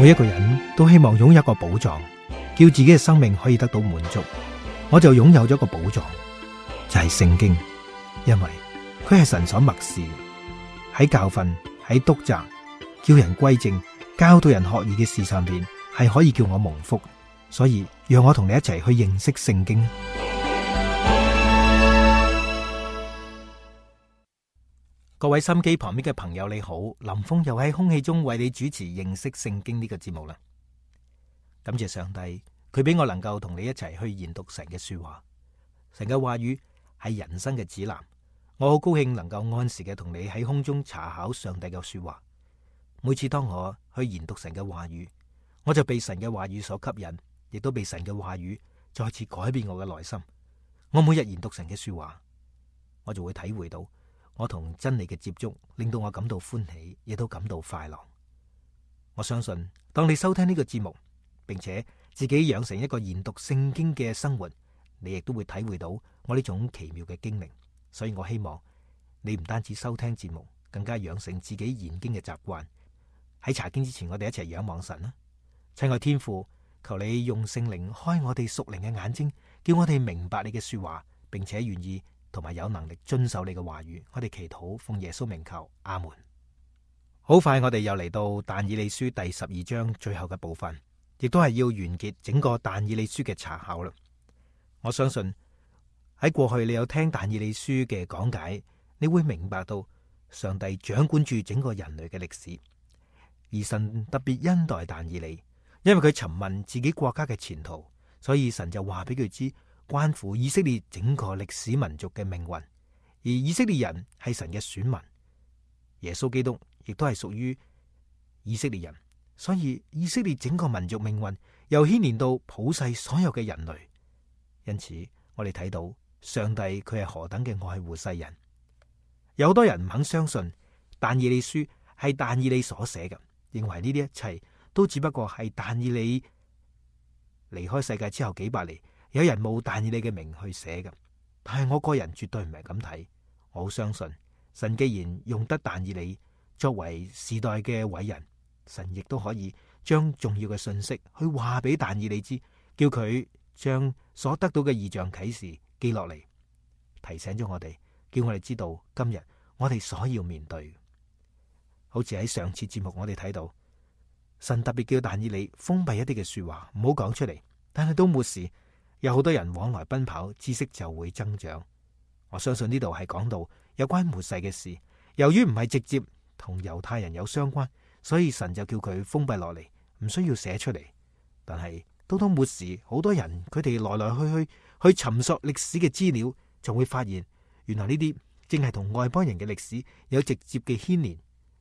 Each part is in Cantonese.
每一個人都希望擁有一個寶藏，叫自己嘅生命可以得到滿足。我就擁有咗個寶藏，就係聖經，因為佢係神所默示，喺教訓、喺督責、叫人歸正、教導人學義嘅事上邊，係可以叫我蒙福。所以讓我同你一齊去認識聖經。各位心機旁邊嘅朋友你好，林峰又喺空氣中為你主持認識聖經呢個節目啦。感謝上帝，佢俾我能夠同你一齊去研讀神嘅說話。神嘅話語係人生嘅指南，我好高興能夠按時嘅同你喺空中查考上帝嘅說話。每次當我去研讀神嘅話語，我就被神嘅話語所吸引，亦都被神嘅話語再次改變我嘅內心。我每日研讀神嘅說話，我就會體會到我同真理嘅接觸，令到我感到歡喜，亦都感到快樂。我相信當你收聽呢個節目，並且自己養成一個研讀聖經嘅生活，你亦都會體會到我呢種奇妙嘅經歷。所以我希望你唔單止收聽節目，更加養成自己研經嘅習慣。喺查經之前，我哋一齊仰望神啦。親愛天父，求你用聖靈開我哋屬靈嘅眼睛，叫我哋明白你嘅說話，並且願意同埋有能力遵守你嘅話語。我哋祈禱奉耶穌名求，阿門。好快我哋又嚟到但以理書第12章最後嘅部分，亦都係要完結整個但以理書嘅查考啦。我相信喺過去你有聽但以理書嘅講解，你會明白到上帝掌管住整個人類嘅歷史，而神特別恩待但以理，因為佢詢問自己國家嘅前途，所以神就話俾佢知關乎以色列整個歷史民族嘅命運。而以色列人係神嘅選民，耶穌基督亦都係屬於以色列人，所以以色列整個民族命運又牽連到普世所有嘅人類。因此我哋睇到上帝佢係何等嘅愛護世人。有好多人唔肯相信但以理書係但以理所寫嘅，認為呢啲一切都只不過係但以理離開世界之後幾百年，有人冒但以理嘅名去寫嘅。但係我個人絕對唔係咁睇，我好相信神既然用得但以理作為時代嘅偉人，神亦都可以將重要嘅信息去話俾但以理知，叫佢將所得到嘅異象啟示記落嚟，提醒咗我哋，叫我哋知道今日我哋所要面對。好似喺上次節目我哋睇到，神特別叫但以理封閉一啲嘅說話，唔好講出嚟。但係都沒事，有好多人往來奔跑，知識就會增長。我相信呢度係講到有關末世嘅事，由於唔係直接同猶太人有相關，所以神就叫佢封閉落嚟，唔需要寫出嚟。但係到末時，好多人佢哋來來去尋索歷史嘅資料，就會發現原來呢啲正係同外邦人嘅歷史有直接嘅牽連，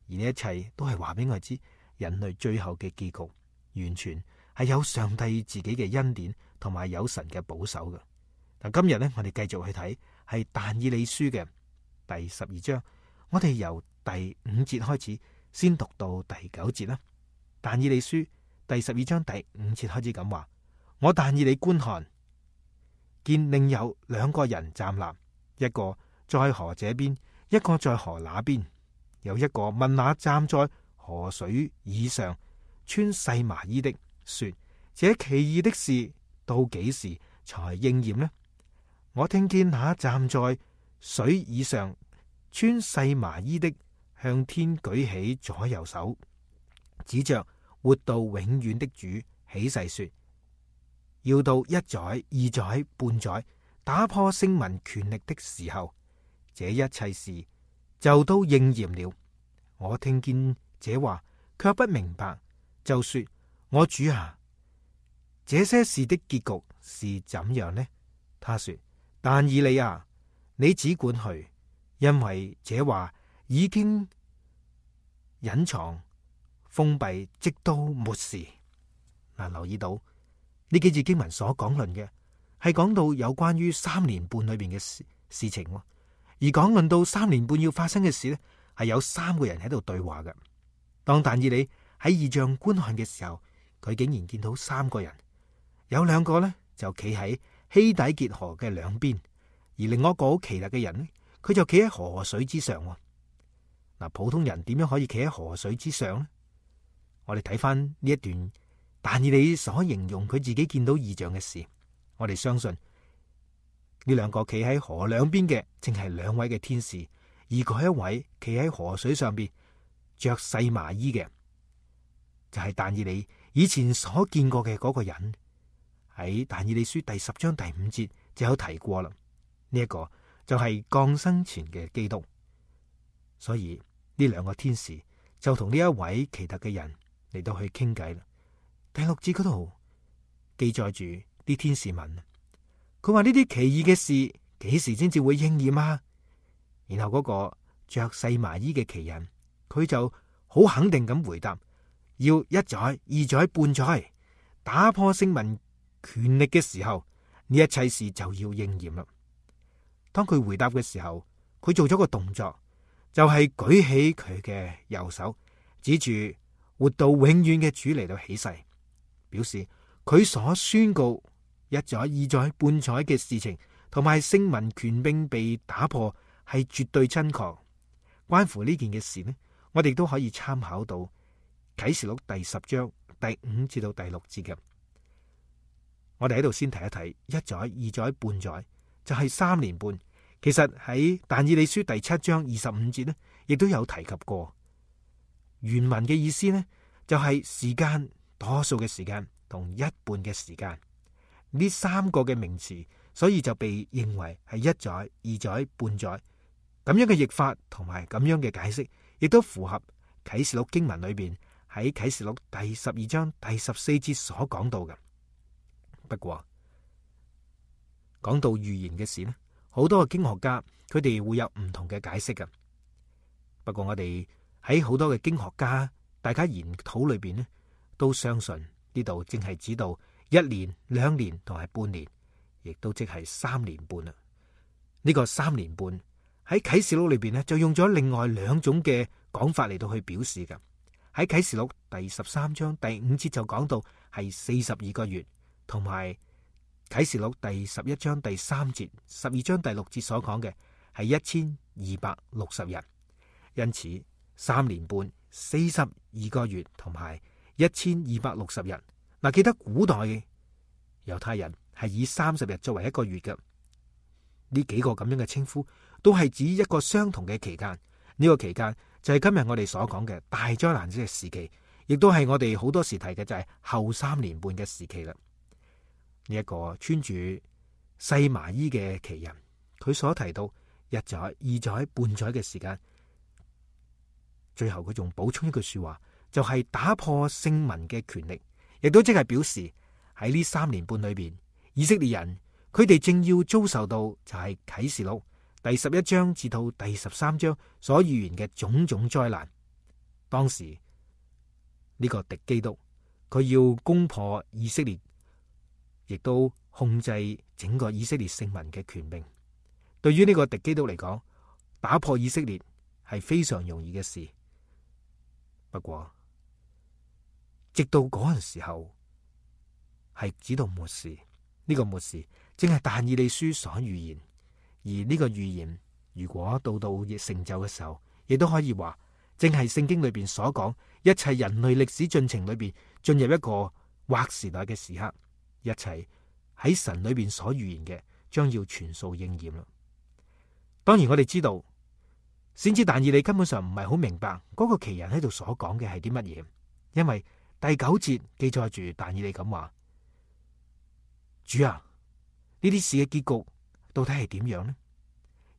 而呢一切都係話俾我知，人類最後嘅結局完全係有上帝自己嘅恩典同埋有神嘅保守嘅。嗱，今日呢，我哋繼續去睇係但以理書嘅第12章，我哋由第5節開始，先讀到第9節啦。但以理書第12章第5節開始咁話：我但以理觀看，見另有2個人站立，一個在河這邊，一個在河那邊。有一個問那站在河水以上穿細麻衣的，說：這奇異的事到幾時才應驗呢？我聽見那站在水以上穿細麻衣的向天舉起左右手，指着活到永遠的主起誓說：要到1載、2載、半載，打破聖民權力的時候，這一切事就都應驗了。我聽見這話，卻不明白，就說：我主啊，這些事的結局是怎樣呢？他說：但以理啊，你只管去，因為這話已經隱藏封閉，直到末時。嗱，留意到呢幾節經文所講論嘅係講到有關於3年半裏邊嘅事情，而講論到3年半要發生嘅事呢，係有3個人喺度對話嘅。當但以理喺異象觀看嘅時候，佢竟然見到3個人，有2個呢就企喺希底結河嘅兩邊，而另外一個好奇特嘅人呢，佢就企喺河水之上。嗱，普通人點樣可以企喺河水之上呢？我哋睇翻呢一段但以理所形容佢自己見到異象嘅事，我哋相信呢兩個企喺河兩邊嘅，正係兩位嘅天使，而嗰一位企喺河水上邊着細麻衣嘅，就係但以理以前所見過嘅嗰個人。喺但以理書第10章第5節就有提過啦。呢一個就係降生前嘅基督，所以呢兩個天使就同呢一位奇特嘅人嚟到去傾偈啦。第6節嗰度記載住啲天使問，佢話呢啲奇異嘅事幾時先至會應驗啊？然後嗰個着細麻衣嘅奇人，佢就好肯定咁回答，要1載、2載、半載，打破聖民權力嘅時候，呢一切事就要應驗啦。當佢回答嘅時候，佢做咗個動作，就係舉起佢嘅右手，指住活到永遠嘅主嚟到起誓，表示佢所宣告1載、2載、半載嘅事情，同埋聖民權柄被打破，係絕對真確。關乎呢件嘅事呢，我哋都可以參考到啟示錄第10章第5至到第6節嘅。我哋喺度先提一提1載、2載、半載，就係3年半。其實喺但以理書第7章25節呢，亦都有提及過。原文嘅意思呢，就係時間，多數嘅時間同一半嘅時間，呢3個嘅名詞，所以就被認為係1載、2載、半載咁樣嘅譯法，同埋咁樣嘅解釋，亦都符合啟示錄經文裏邊喺啟示錄第12章第14節所講到嘅。不過講到預言嘅事呢，好多嘅經學家佢哋會有唔同嘅解釋嘅。不過我哋喺好多嘅經學家大家研討裏邊呢，都相信呢度正係指到1年、2年同埋半年，亦都即係3年半啦。呢個3年半喺啟示錄裏邊呢，就用咗另外2種嘅講法嚟到去表示嘅。喺啟示錄第13章第5節就講到係42個月，同埋啟示錄第11章第3節、12章第6節所講嘅係1260日。因此3年半、42個月同埋1260日。嗱，記得古代嘅猶太人係以30日作為一個月嘅。呢幾個咁樣嘅稱呼都係指一個相同嘅期間。呢個期間就係今日我哋所講嘅大災難嘅時期，亦都係我哋好多時提嘅就係後3年半嘅時期啦。呢一個穿住細麻衣嘅奇人，佢所提到1載、2載、半載嘅時間，最後佢仲補充一句說話，就係打破聖民嘅權力，亦都即係表示喺呢3年半裏邊，以色列人佢哋正要遭受到就係啟示錄第11章至到第13章所預言嘅種種災難。當時呢個敵基督佢要攻破以色列，亦都控制整個以色列聖民嘅權柄。對於呢個敵基督嚟講，打破以色列係非常容易嘅事。不過直到嗰陣時候，係指到末時，呢個末時正係但以理書所預言。而呢個預言如果到成就嘅時候，亦都可以話正係聖經裏邊所講一切人類歷史進程裏邊進入一個劃時代嘅時刻，一切喺神裏邊所預言嘅將要全數應驗啦。當然我哋知道先知但以理根本上唔係好明白嗰個奇人喺度所講嘅係啲乜嘢，因為第9節記載住但以理咁話：主啊，呢啲事嘅結局到底係點樣呢？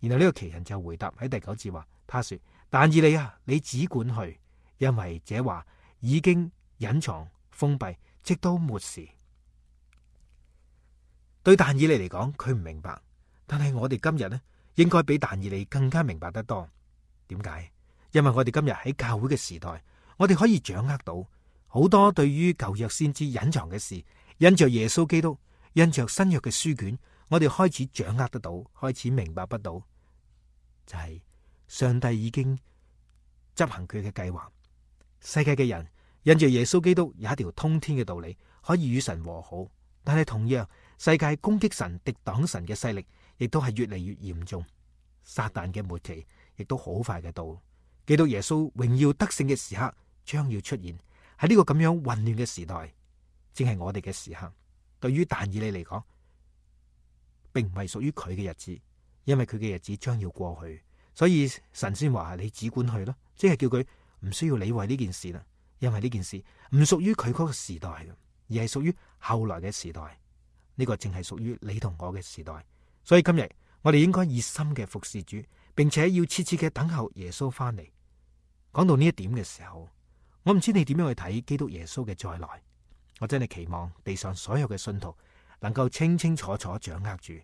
然後呢個奇人就回答喺第9節話：他說，但以理啊，你只管去，因為這話已經隱藏封閉，直到末時。對但以理嚟講，佢唔明白，但係我哋今日呢，應該比但以理更加明白得多。點解？因為我哋今日喺教會嘅時代，我哋可以掌握到好多對於舊約先知隱藏嘅事，因着耶穌基督，因着新約嘅書卷，我哋開始掌握得到，開始明白不到，就係上帝已經執行佢嘅計劃。世界嘅人因着耶穌基督有一條通天嘅道理，可以與神和好，但係同樣世界攻擊神、敵擋神嘅勢力，亦都係越嚟越嚴重。撒旦嘅末期亦都好快嘅到，基督耶穌榮耀得勝嘅時刻將要出現。喺呢個咁樣混亂嘅時代，正係我哋嘅時刻。對於但以理嚟講，並唔係屬於佢嘅日子，因為佢嘅日子將要過去，所以神先話你只管去咯，即係叫佢唔需要理會呢件事啦，因為呢件事唔屬於佢嗰個時代，而係屬於後來嘅時代。呢個正係屬於你同我嘅時代，所以今日我哋應該熱心嘅服侍主，並且要切切嘅等候耶穌翻嚟。講到呢一點嘅時候，我唔知你點樣去睇基督耶穌嘅再來。我真係期望地上所有嘅信徒能夠清清楚楚掌握住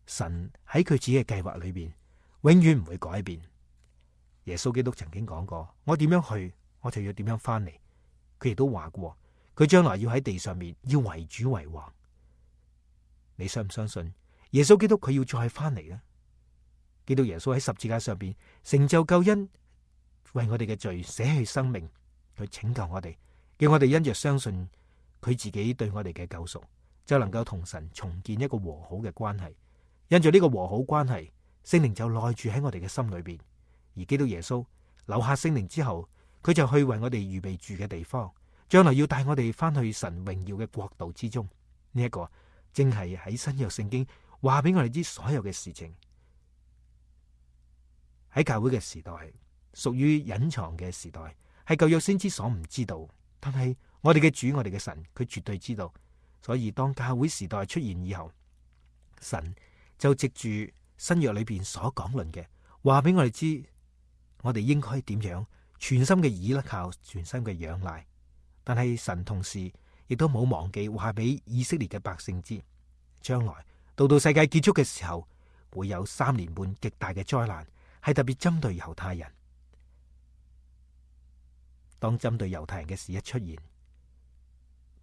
神喺佢自己嘅計劃裏邊，永遠唔會改變。耶穌基督曾經講過，我點樣去，我就要點樣翻嚟。佢亦都話過，佢將來要喺地上面要為主為王。你相唔相信耶穌基督佢要再翻嚟呢？基督耶穌喺十字架上邊成就救恩，為我哋嘅罪捨去生命，去拯救我哋。叫我哋因着相信佢自己對我哋嘅救贖，就能夠同神重建一個和好嘅關係。因着呢個和好關係，聖靈就內住喺我哋嘅心裏邊。而基督耶穌留下聖靈之後，佢就去為我哋預備住嘅地方，將來要帶我哋翻去神榮耀嘅國度之中。呢一個正係喺新約聖經話俾我哋知所有嘅事情。喺教會嘅時代，屬於隱藏嘅時代，係舊約先知所唔知道。但係我哋嘅主，我哋嘅神，佢絕對知道。所以當教會時代出現以後，神就藉住新約裏邊所講論嘅話俾我哋知，我哋應該點樣全心嘅倚靠，全心嘅仰賴。但係神同時亦都冇忘記話俾以色列嘅百姓知，將來到世界結束嘅時候，會有3年半極大嘅災難，係特別針對猶太人。當針對猶太人嘅事一出現，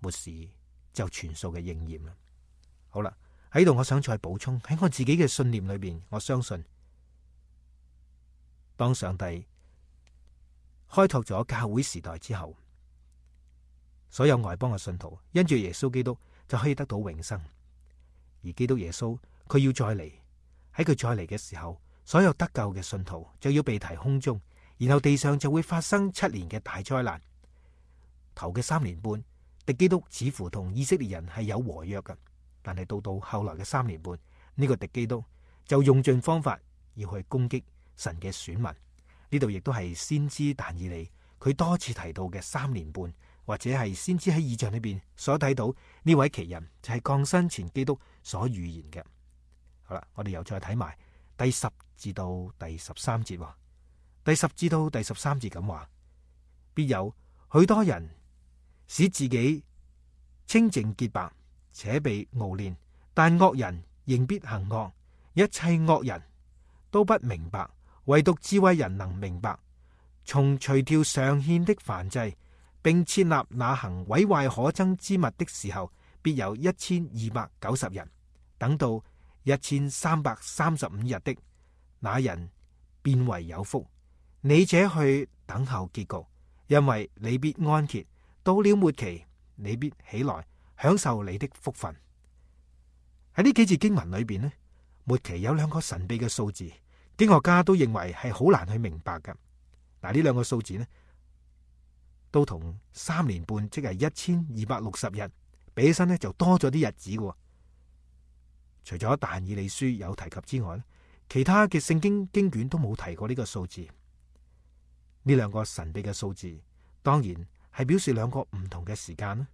末時就全數嘅應驗啦。好啦，喺度我想再補充，喺我自己嘅信念裏邊，我相信當上帝開拓咗教會時代之後，所有外邦嘅信徒因住耶穌基督就可以得到永生。而基督耶穌佢要再嚟，喺佢再嚟嘅時候，所有得救嘅信徒就要被提空中。然後地上就會發生7年嘅大災難。頭嘅3年半，敵基督似乎同以色列人係有和約嘅，但係到後來嘅3年半，呢個敵基督就用盡方法要去攻擊神嘅選民。呢度亦都係先知但以理佢多次提到嘅3年半，或者係先知喺異象裏邊所睇到呢位奇人就係降生前基督所預言嘅。好啦，我哋又再睇埋第10至到第13節。第10至到第13節咁話，必有許多人使自己清淨潔白，且被熬煉，但惡人仍必行惡。一切惡人都不明白，唯獨智慧人能明白。從除掉常獻的燔祭，並設立那行毀壞可憎之物的時候，必有1290人。等到1335日的那人，便為有福。你這去等候結局，因為你必安歇。到了末期，你必起來享受你的福分。喺呢幾節經文裏邊呢，末期有2個神秘嘅數字，經學家都認為係好難去明白嘅。嗱，呢2個數字呢，都同3年半，即係1260日比起身呢，就多咗啲日子嘅。除咗但以理書有提及之外呢，其他嘅聖經經卷都冇提過呢個數字。呢2個神秘嘅數字，當然係表示2個唔同嘅時間啦。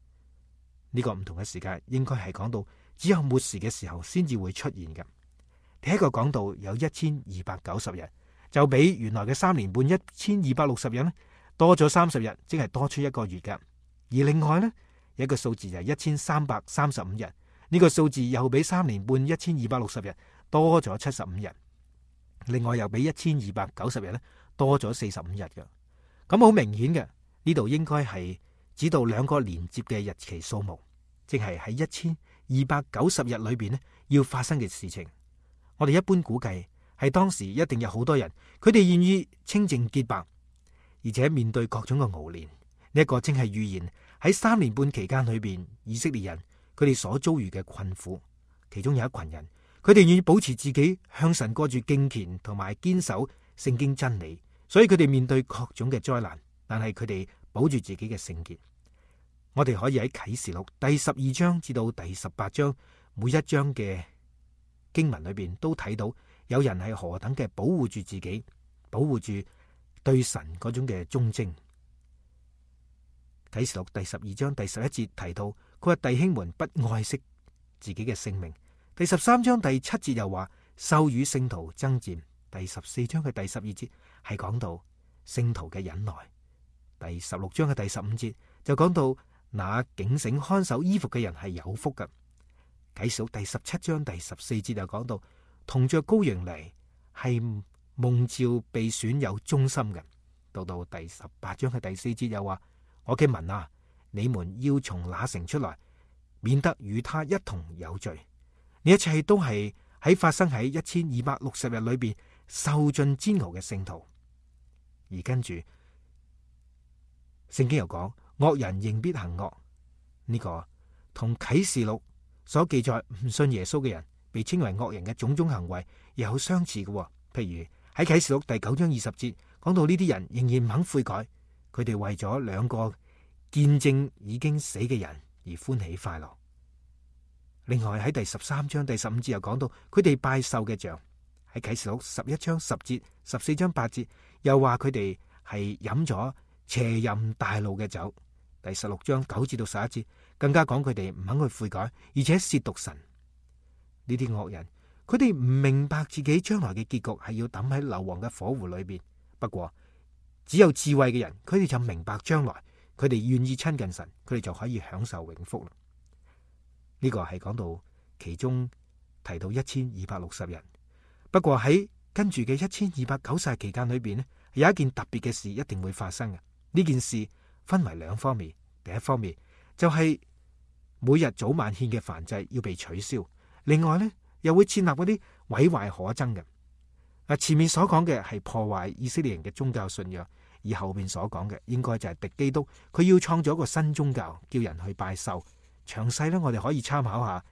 呢個唔同嘅時間，應該係講到只有末時嘅時候先至會出現嘅。第一個講到有1290日，就比原來嘅3年半1260日呢多咗30日，即係多出1個月嘅。而另外呢，有一個數字就係1335日，呢個數字又比3年半1260日多咗75日。另外又比1290日呢多咗45日嘅。咁好明顯嘅，呢度應該係指到2個連接嘅日期數目，即係喺1290日裏邊呢要發生嘅事情。我哋一般估計係當時一定有好多人，佢哋願意清淨潔白，而且面對各種嘅熬煉。呢一個正係預言喺3年半期間裏邊，以色列人佢哋所遭遇嘅困苦。其中有一群人，佢哋願意保持自己向神過住敬虔同埋堅守聖經真理，所以佢哋面對各種嘅災難，但係佢哋保住自己嘅聖潔。我哋可以喺啟示錄第12章至到第18章每一章嘅經文裏邊都睇到有人係何等嘅保護住自己，保護住對神嗰種嘅忠貞。啟示錄第12章第11節提到，佢話弟兄們不愛惜自己嘅性命。第13章第7節又話獸與聖徒爭戰。第14章嘅第12節係講到聖徒嘅忍耐。第16章嘅第15節就講到那警醒看守衣服嘅人係有福㗎。啟示錄第17章第14節又講到同着羔羊嚟係蒙召被選有忠心嘅。到第18章嘅第4節又話，我嘅民啊，你們要從那城出來，免得與他一同有罪。呢一切都係喺發生喺1260日裏邊受盡煎熬嘅聖徒。而跟住聖經又講，惡人仍必行惡。呢個同啟示錄所記載唔信耶穌嘅人被稱為惡人嘅種種行為又有相似嘅。譬如喺啟示錄第9章20節講到呢啲人仍然唔肯悔改，佢哋為咗2個見證已經死嘅人而歡喜快樂。另外喺第13章第15節又講到佢哋拜獸嘅像。喺啟示錄11章10節、14章8節又話佢哋係飲咗邪淫大怒嘅酒。第16章9節到11節更加講佢哋唔肯去悔改，而且褻瀆神。呢啲惡人，佢哋唔明白自己將來嘅結局係要抌喺硫磺嘅火湖裏邊。不過只有智慧嘅人，佢哋就明白將來，佢哋願意親近神，佢哋就可以享受永福啦。呢個係講到其中提到1260人。不過喺跟住嘅1290日期間裏邊呢，有一件特別嘅事一定會發生嘅。呢件事分為2方面。第一方面就係每日早晚獻嘅燔祭要被取消，另外呢又會設立嗰啲毀壞可憎嘅。前面所講嘅係破壞以色列人嘅宗教信仰，而後面所講嘅應該就係敵基督，佢要創造一個新宗教，叫人去拜獸。詳細呢，我哋可以參考下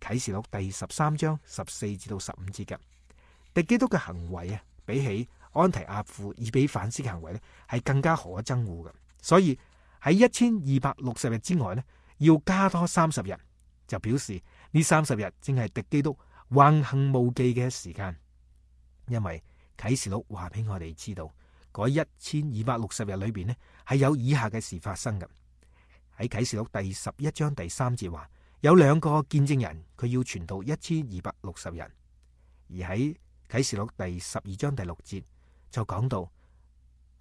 啟示錄第13章14至到15節嘅。敵基督嘅行為啊，比起安提阿父以比反思嘅行為呢，係更加可憎惡嘅。所以喺1260日之外呢，要加多30日，就表示呢30日正係敵基督橫行無忌嘅時間。因為啟示錄話俾我哋知道，嗰1260日裏邊呢，係有以下嘅事發生嘅。喺啟示錄第11章第3節話，有2個見證人，佢要傳道1260日。而喺啟示錄第12章第6節就講到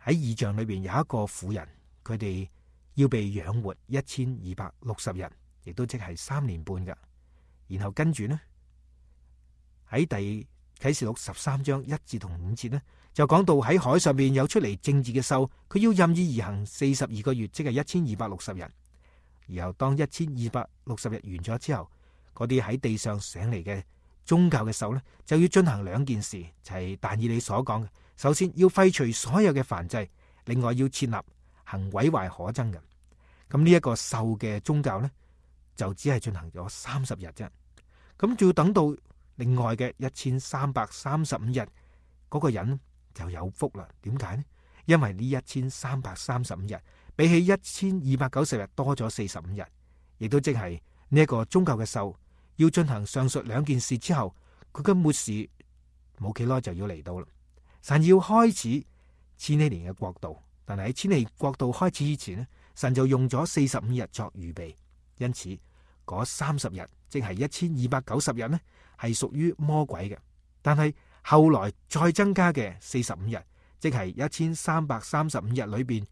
喺異象裏邊有一個婦人，佢哋要被養活1260日，亦都即係3年半噶。然後跟住呢，喺第啟示錄13章1至同5節呢，就講到喺海上邊有出嚟政治嘅獸，佢要任意而行42個月，即係1260日。然後當1260日完咗之後，嗰啲喺地上醒嚟嘅宗教嘅獸呢，就要進行2件事，就係但以理所講嘅。首先要廢除所有嘅燔祭，另外要設立行毀壞可憎嘅。咁呢一個獸嘅宗教呢，就只係進行咗30日啫。咁就要等到另外嘅1335日，嗰個人就有福啦。點解呢？因為呢1335日比起1290日多咗45日，亦都即係呢一個宗教嘅獸要進行上述2件事之後，佢嘅末時冇幾耐就要嚟到啦。神要開始千禧年嘅國度，但係喺千禧年國度開始之前呢，神就用咗45日作預備。因此嗰30日，即係1290日呢，係屬於魔鬼嘅。但係後來再增加嘅45日，即係1335日裏邊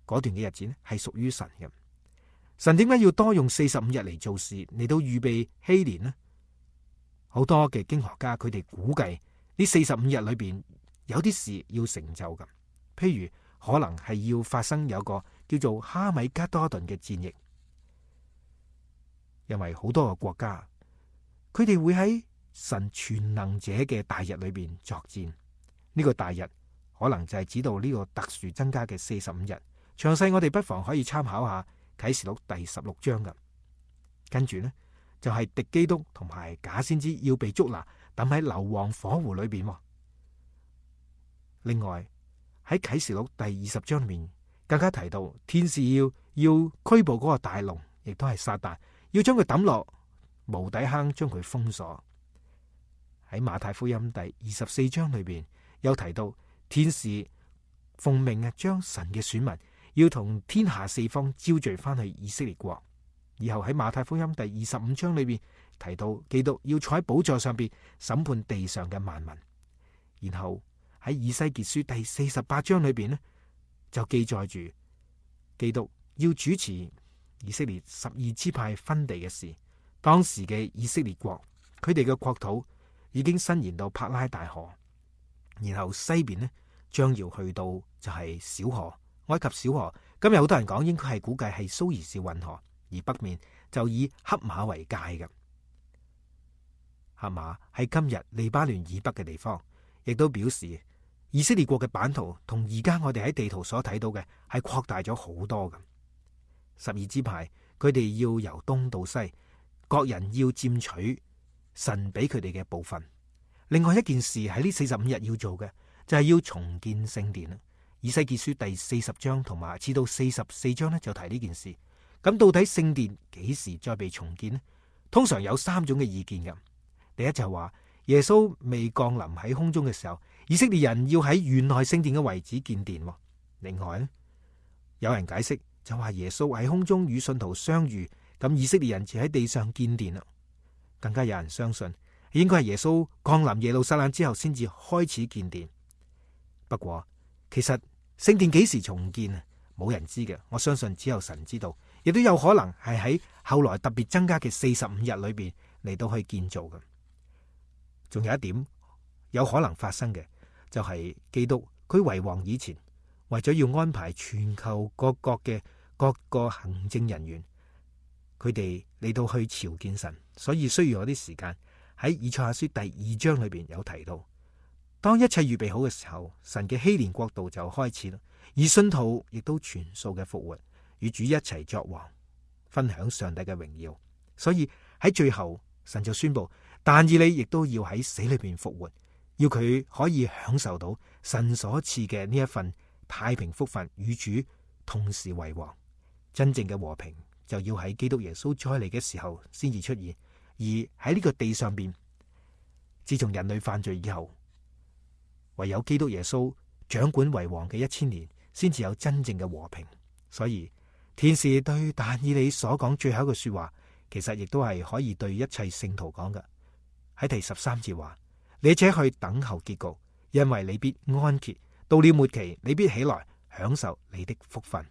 嗰段嘅日子呢，係屬於神嘅。神點解要多用45日嚟做事，嚟到預備禧年呢？好多嘅經學家佢哋估計呢45日裏邊有啲事要成就嘅，譬如可能係要發生有個叫做哈米加多頓嘅戰役，因為好多個國家佢哋會喺神全能者嘅大日裏邊作戰。呢個大日可能就係指到呢個特殊增加嘅45日。詳細我哋不妨可以參考下啟示錄第16章嘅。跟住呢，就係敵基督同埋假先知要被捉拿，抌喺硫磺火湖裏邊。另外喺啟示錄第20章裏面更加提到天使要拘捕嗰個大龍，亦都係撒旦，要將佢抌落無底坑，將佢封鎖。喺馬太福音第24章裏邊有提到，天使奉命將神嘅選民要同天下四方招聚翻去以色列國。以後喺馬太福音第25章裏邊提到，基督要坐喺寶座上邊審判地上嘅萬民。然後喺以西結書第48章裏邊呢，就記載住基督要主持以色列12支派分地嘅事。當時嘅以色列國，佢哋嘅國土已經伸延到柏拉大河，然後西邊呢將要去到就係小河，埃及小河。今日好多人講應該係估計係蘇伊士運河，而北面就以黑馬為界嘅。黑馬喺今日黎巴嫩以北嘅地方，亦都表示以色列國嘅版圖同而家我哋喺地圖所睇到嘅係擴大咗好多嘅。12支派佢哋要由東到西，各人要佔取神俾佢哋嘅部分。另外一件事喺呢45日要做嘅就係要重建聖殿啦。以西結書第40章同埋至到44章呢，就提呢件事。咁到底聖殿幾時再被重建呢？通常有3種嘅意見嘅。第一就係話耶穌未降臨喺空中嘅時候，以色列人要喺原來聖殿嘅位置建殿。另外呢，有人解釋就話耶穌喺空中與信徒相遇，咁以色列人就喺地上建殿啦。更加有人相信應該係耶穌降臨耶路撒冷之後先至開始建殿。不過其實聖殿幾時重建啊？冇人知嘅。我相信只有神知道，亦都有可能係喺後來特別增加嘅45日裏邊嚟到去建造嘅。仲有一點有可能發生嘅，就係基督佢為王以前，為咗要安排全球各國嘅各個行政人員，佢哋嚟到去朝見神，所以需要有啲時間。喺以賽亞書第2章裏邊有提到，當一切預備好嘅時候，神嘅禧年國度就開始啦，而信徒亦都全數嘅復活，與主一齊作王，分享上帝嘅榮耀。所以喺最後，神就宣布，但以理亦都要喺死裏邊復活，要佢可以享受到神所賜嘅呢一份太平福分，與主同時為王。真正嘅和平就要喺基督耶穌再嚟嘅時候先至出現，而喺呢個地上邊，自從人類犯罪以後，唯有基督耶穌掌管為王嘅1000年，先至有真正嘅和平。所以天使對但以理所講最後一句說話，其實亦都係可以對一切聖徒講嘅。喺第13節話：你且去等候結局，因為你必安歇，到了末期，你必起來享受你的福分。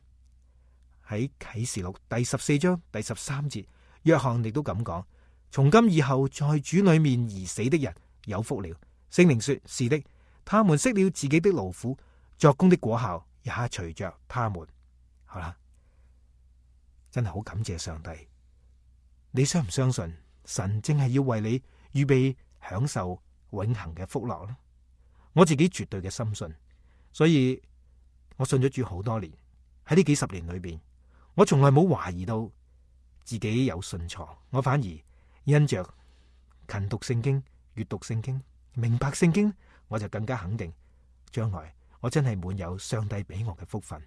喺啟示錄第14章第13節，約翰亦都咁講：從今以後，在主裏面而死的人有福了。聖靈說：是的，他們息了自己的勞苦，作工的果效也隨着他們。好啦，真係好感謝上帝。你相唔相信神正係要為你預備享受永恆嘅福樂呢？我自己絕對嘅深信，所以我信咗主好多年。喺呢幾十年裏邊，我從來冇懷疑到自己有信錯，我反而因着勤讀聖經、閱讀聖經、明白聖經，我就更加肯定將來我真係滿有上帝俾我嘅福分。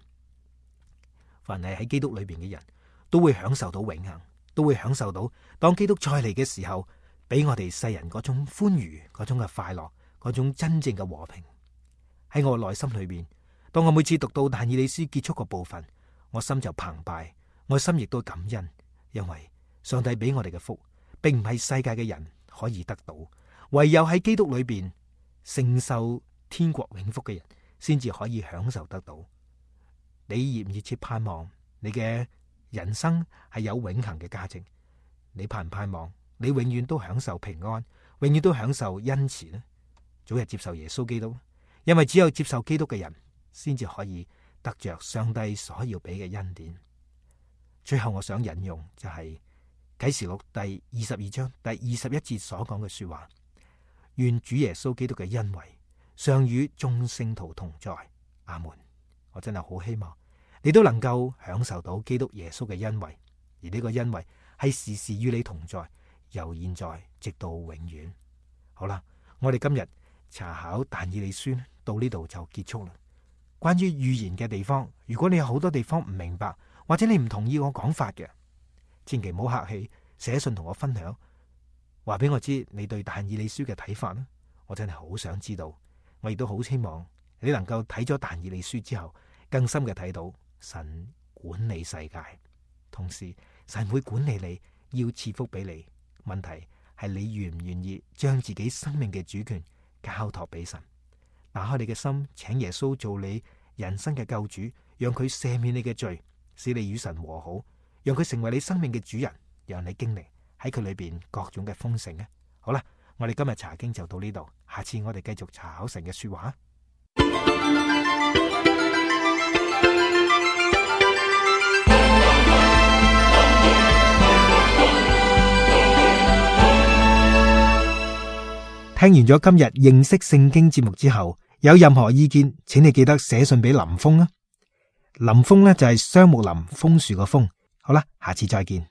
凡係喺基督裏邊嘅人都會享受到永恆，都會享受到當基督再嚟嘅時候，俾我哋世人嗰種歡愉、嗰種嘅快樂、嗰種真正嘅和平。喺我內心裏邊，當我每次讀到但以理書結束個部分，我心就澎湃，我心亦都感恩，因為上帝俾我哋嘅福，並唔係世界嘅人可以得到，唯有喺基督裏邊承受天國永福嘅人，先至可以享受得到。你熱唔熱切盼望你嘅人生係有永恆嘅價值？你盼唔盼望你永遠都享受平安，永遠都享受恩慈呢？早日接受耶穌基督，因為只有接受基督嘅人，先至可以得着上帝所要俾嘅恩典。最後我想引用就係啟示錄第22章第21節所講嘅說話：願主耶穌基督嘅恩惠常與眾聖徒同在。阿門。我真係好希望你都能夠享受到基督耶穌嘅恩惠，而呢個恩惠係時時與你同在，由現在直到永遠。好啦，我哋今日查考但以理書到呢度就結束啦。關於預言嘅地方，如果你有好多地方唔明白，或者你唔同意我講法嘅，千祈唔好客氣，寫信同我分享，話俾我知你對但以理書嘅睇法啦。我真係好想知道，我亦都好希望你能夠睇咗但以理書之後，更深嘅睇到神管理世界，同時神會管理你，要賜福俾你。問題係你願唔願意將自己生命嘅主權交託俾神，打開你嘅心，請耶穌做你人生嘅救主，讓佢赦免你嘅罪，使你與神和好，讓佢成為你生命嘅主人，讓你經歷喺佢裏邊各種嘅豐盛啊！好啦，我哋今日查經就到呢度，下次我哋繼續查考神嘅說話。聽完咗今日認識聖經節目之後，有任何意見，請你記得寫信俾林峰啊。林峰呢就係雙木林楓樹個楓。好啦，下次再見。